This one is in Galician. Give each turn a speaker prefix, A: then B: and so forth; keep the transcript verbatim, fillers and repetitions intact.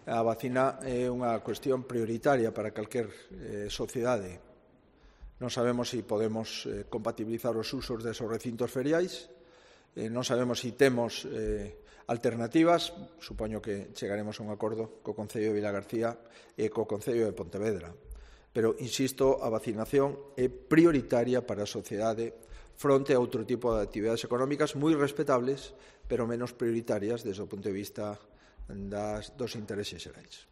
A: A vacina é unha cuestión prioritaria para calquer eh, sociedade. Non sabemos se podemos eh, compatibilizar os usos desos recintos feriais, eh, non sabemos se temos eh, alternativas, supoño que chegaremos a un acordo co Concello de Vilagarcía e co Concello de Pontevedra. Pero, insisto, a vacinación é prioritaria para a sociedade fronte a outro tipo de actividades económicas moi respetables, pero menos prioritarias desde o punto de vista das, dos intereses xerais.